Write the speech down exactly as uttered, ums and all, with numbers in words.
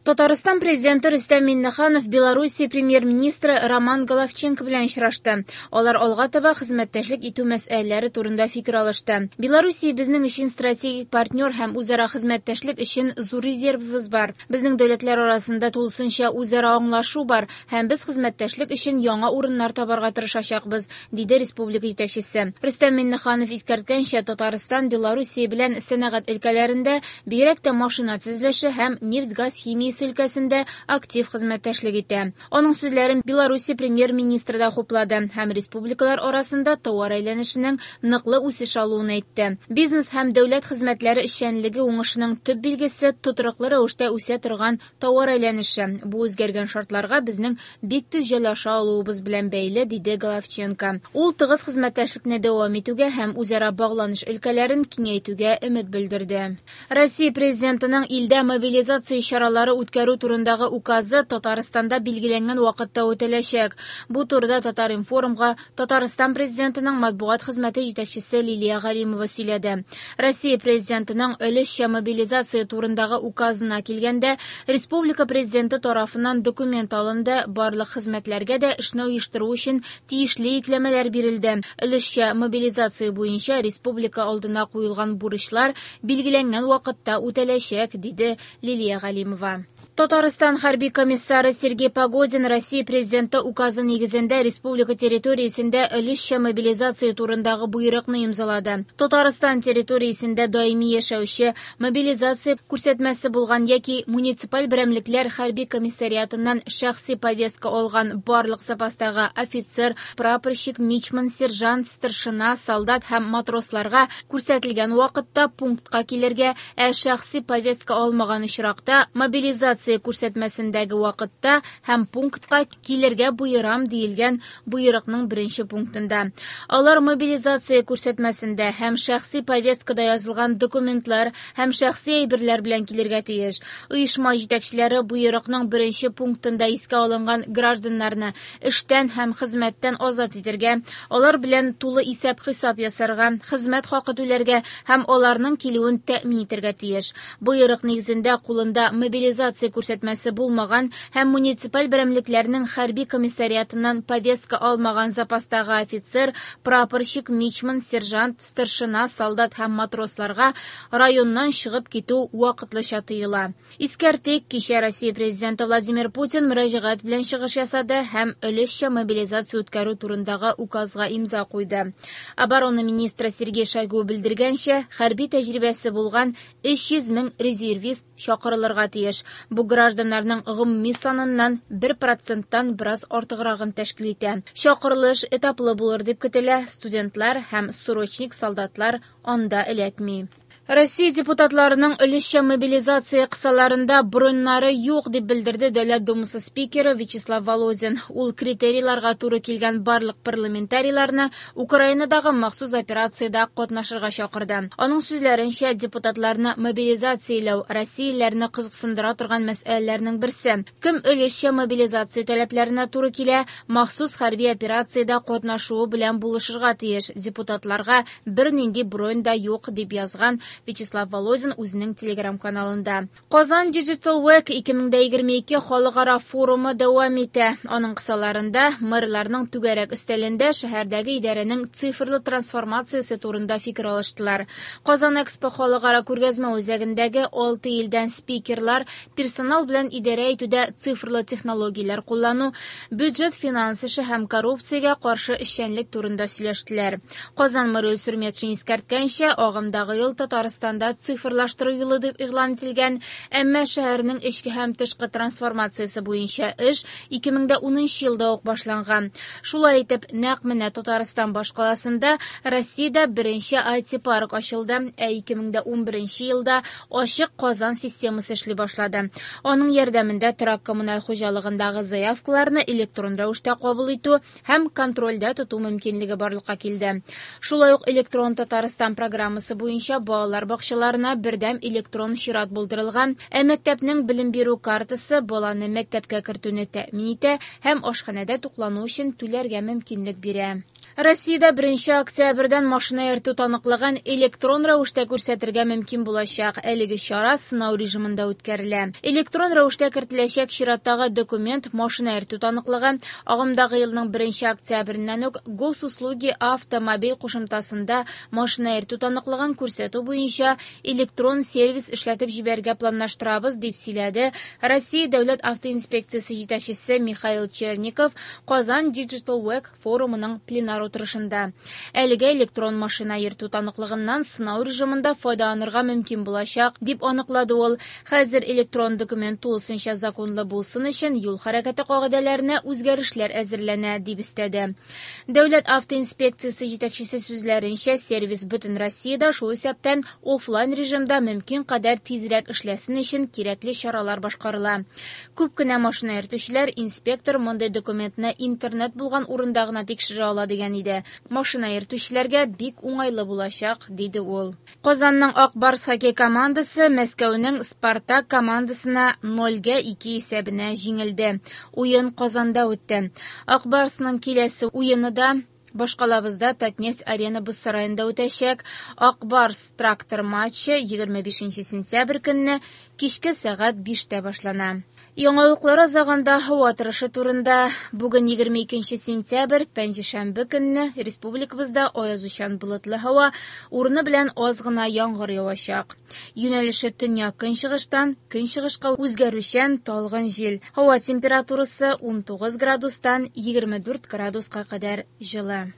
Татарстан Президенты Рөстәм Миңнеханов Белоруссия Премьер-министры Роман Головченко белән очрашты. Алар алга таба хезмәттәшлек итү мәсьәләләре турында фикер алышты. Белоруссия безнең өчен стратегик партнер һәм үзара хезмәттәшлек өчен зур резервыбыз бар. Безнең дәүләтләр арасында тулысынча үзара аңлашу бар һәм без хезмәттәшлек өчен яңа урыннар табарга тырышачакбыз, диде республика җитәкчесе. Рөстәм Миңнеханов искәрткәнчә, Татарстан Белоруссия белән сәнәгать өлкәләрендә, бигрәк тә машина төзелеше һәм нефть-газ химиясе өлкәсендә актив хезмәттәшлек итә. Аның сүзләрен Белоруссия премьер-министры да хуплады һәм республикалар арасында товар әйләнешенең ныклы үсеш алуын әйтте. Бизнес һәм дәүләт хезмәтләре эшчәнлеге уңышының төп билгесе тотрыклы рәвештә үсә торган товар әйләнеше. Бу үзгәргән шартларга безнең бик тиз җайлаша алуыбыз белән бәйле, диде Головченко. Ул тыгыз хезмәттәшлекне дәвам итүгә һәм үзара багланыш өлкәләрен киңәйтүгә өмет белдерде. Россия Президентының илдә мобилизация чаралары үткәрү турындагы указы Татарстанда билгеләнгән вакытта үтәләчәк. Бу турыда Татар-информга Татарстан Президентының матбугат хезмәте җитәкчесе Лилия Галимова сөйләде. Россия Президентының өлешчә мобилизация турындагы указына килгәндә, республика Президенты тарафыннан документ алынды, барлык хезмәтләргә дә эшне оештыру өчен тиешле йөкләмәләр бирелде. Өлешчә мобилизация буенча республика алдына куелган бурычлар билгеләнгән вакытта үтәләчәк, диде Лилия Галимова. Татарстан хәрби комиссары Сергей Погодин Россия Президенты указы нигезендә республика территориясендә өлешчә мобилизация турындагы боерыкны имзалады. Татарстан территориясендә даими яшәүче мобилизация күрсәтмәсе булган яки муниципаль берәмлекләр хәрби комиссариатыннан шәхси повестка алган барлык запастагы офицер, прапорщик, мичман, сержант, старшина, солдат һәм матросларга күрсәтелгән вакытта пунктка килергә, ә шәхси повестка алмаган очракта мобилизация күрсәтмәсендәге вакытта һәм пунктка килергә боерам диелгән боерыкның беренче пунктында. Алар мобилизация күрсәтмәсендә һәм шәхси повесткада язылган документлар һәм шәхси әйберләр белән килергә тиеш. Оешма җитәкчеләре боерыкның беренче пунктында искә алынган гражданнарны эштән һәм хезмәттән азат итәргә, алар белән тулы исәп-хисап ясарга, хезмәт хакы түләргә һәм аларның килүен тәэмин итәргә тиеш. Боерык нигезендә кулында мобилизация күрсәтмәсе булмаган һәм муниципаль берәмлекләрнең хәрби комиссариатыннан повестка алмаган запастагы офицер, прапорщик, мичман, сержант, старшина, солдат һәм матросларга районнан чыгып китү вакытлыча тыела. Искәртик, кичә Россия Президенты Владимир Путин мөрәҗәгать белән чыгыш ясады һәм өлешчә мобилизация үткәрү турындагы указга имза куйды. Оборона министры Сергей Шойгу белдергәнчә, хәрби тәҗрибәсе булган өч йөз мең резервист чакырылырга тиеш. Бу гражданнарның гомуми саныннан бер проценттан бераз артыграгын тәшкил итә. Чакырылыш этаплы булыр дип көтелә, студентлар һәм срочник солдатлар анда эләкми. Россия депутатларының өлешчә мобилизация кысаларында броньнары юк дип белдерде Дәүләт Думасы спикеры Вячеслав Володин. Ул критерийларга туры килгән барлык парламентарийларны Украинадагы махсус операциядә катнашырга чакырды. Аның сүзләренчә, депутатларны мобилизацияләү россиялеләрне кызыксындыра торган мәсьәләләрнең берсе. Кем өлешчә мобилизация таләпләренә туры килә, махсус хәрби операциядә катнашуы белән булышырга тиеш. Депутатларга бернинди бронь да юк дип язган Вячеслав Володин үзенең телеграм-каналында. Казан Digital Week ике мең егерме ике халыкара форумы дәвам итә. Аның кысаларында мэрларның түгәрәк өстәлендә шәһәрдәге идарәнең цифрлы трансформациясе турында фикер алыштылар. Казан Экспо халыкара күргәзмә үзәгендәге алты илдән спикерлар персонал белән идарә итүдә цифрлы технологияләр куллану, бюджет финанс эше һәм коррупциягә каршы эшчәнлек турында сөйләштеләр. Казан мэры Илсур Метшин искәрткәнчә, агымдагы ел Татарстанда цифрлаштыру юлы дип игълан ителгән, әмма шәһәрнең эчке һәм тышкы трансформациясе буенча эш ике мең унынчы елда ук башланган. Шулай итеп, нәкъ менә Татарстан башкаласында Россиядә беренче ай ти парк ачылды, ә ике мең унберенче елда ачык Казан системасы эшли башлады. Аның ярдәмендә торак коммуналь хуҗалыгындагы заявкаларны электрон рәвештә кабул итү һәм контрольдә тоту мөмкинлеге барлыкка килде. Шулай ук электрон Татарстан программасы буенча балалар бакчаларына бердәм электрон чират булдырылган, ә мәктәпнең белем бирү картасы баланы мәктәпкә кертүне тәэмин итә һәм ашханәдә туклану өчен түләргә мөмкинлек бирә. Россиядә беренче октябрьдән машина йөртү таныклыгын электрон рәвештә күрсәтергә мөмкин булачак. Әлеге чара сынау режимында үткәрелә. Электрон рәвештә кертеләчәк чираттагы документ машина йөртү таныклыгы. Агымдагы елның беренче октябреннән үк Госуслуги автомобиль кушымтасында машина йөртү таныклыгын күрсәтү буенча электрон сервис эшләтеп җибәрергә планлаштырабыз, дип сөйләде Россия дәүләт автоинспекциясе җитәкчесе Михаил Черников Казан Digital Week форумының пленар утырышында. Әлегә электрон машина йөртү таныклыгыннан сынау режимында файдаланырга мөмкин булачак, дип аныклады ул. Хәзер электрон документ тулысынча законлы булсын өчен юл хәрәкәте кагыйдәләренә үзгәрешләр әзерләнә, дип өстәде. Дәүләт автоинспекциясе җитәкчесе сүзләренчә, сервис бөтен Россиядә, шул исәптән офлайн режимда мөмкин кадәр тизрәк эшләсен өчен кирәкле чаралар башкарыла. Күп кенә машина йөртүчеләр инспектор мондый документны интернет булган урында гына тикшерә ала дигән иде. Машина йөртүчеләргә бик уңайлы булачак, диде ул. Казанның Ак Барс хоккей командасы Мәскәүнең Спартак командасына нольгә ике исәбенә җиңелде. Уен Казанда үтте. Ак Барсның киләсе уены да башкалабызда Татнефть арена боз сараенда үтәчәк. Ак Барс трактор матчы егерме бишенче сентябрь көнне кичке сәгать биштә башлана. Яңалыклар азагында һава торышы турында. Бүген егерме икенче сентябрь, пәнҗешәмбе көнне республикабызда аязучан болытлы һава, урыны белән аз гына яңгыр явачак. Юнәлеше төньяк-көнчыгыштан көнчыгышка үзгәрүчән талгын җил. Һава температурасы ун тугыз градустан егерме дүрт градуска кадәр җылы.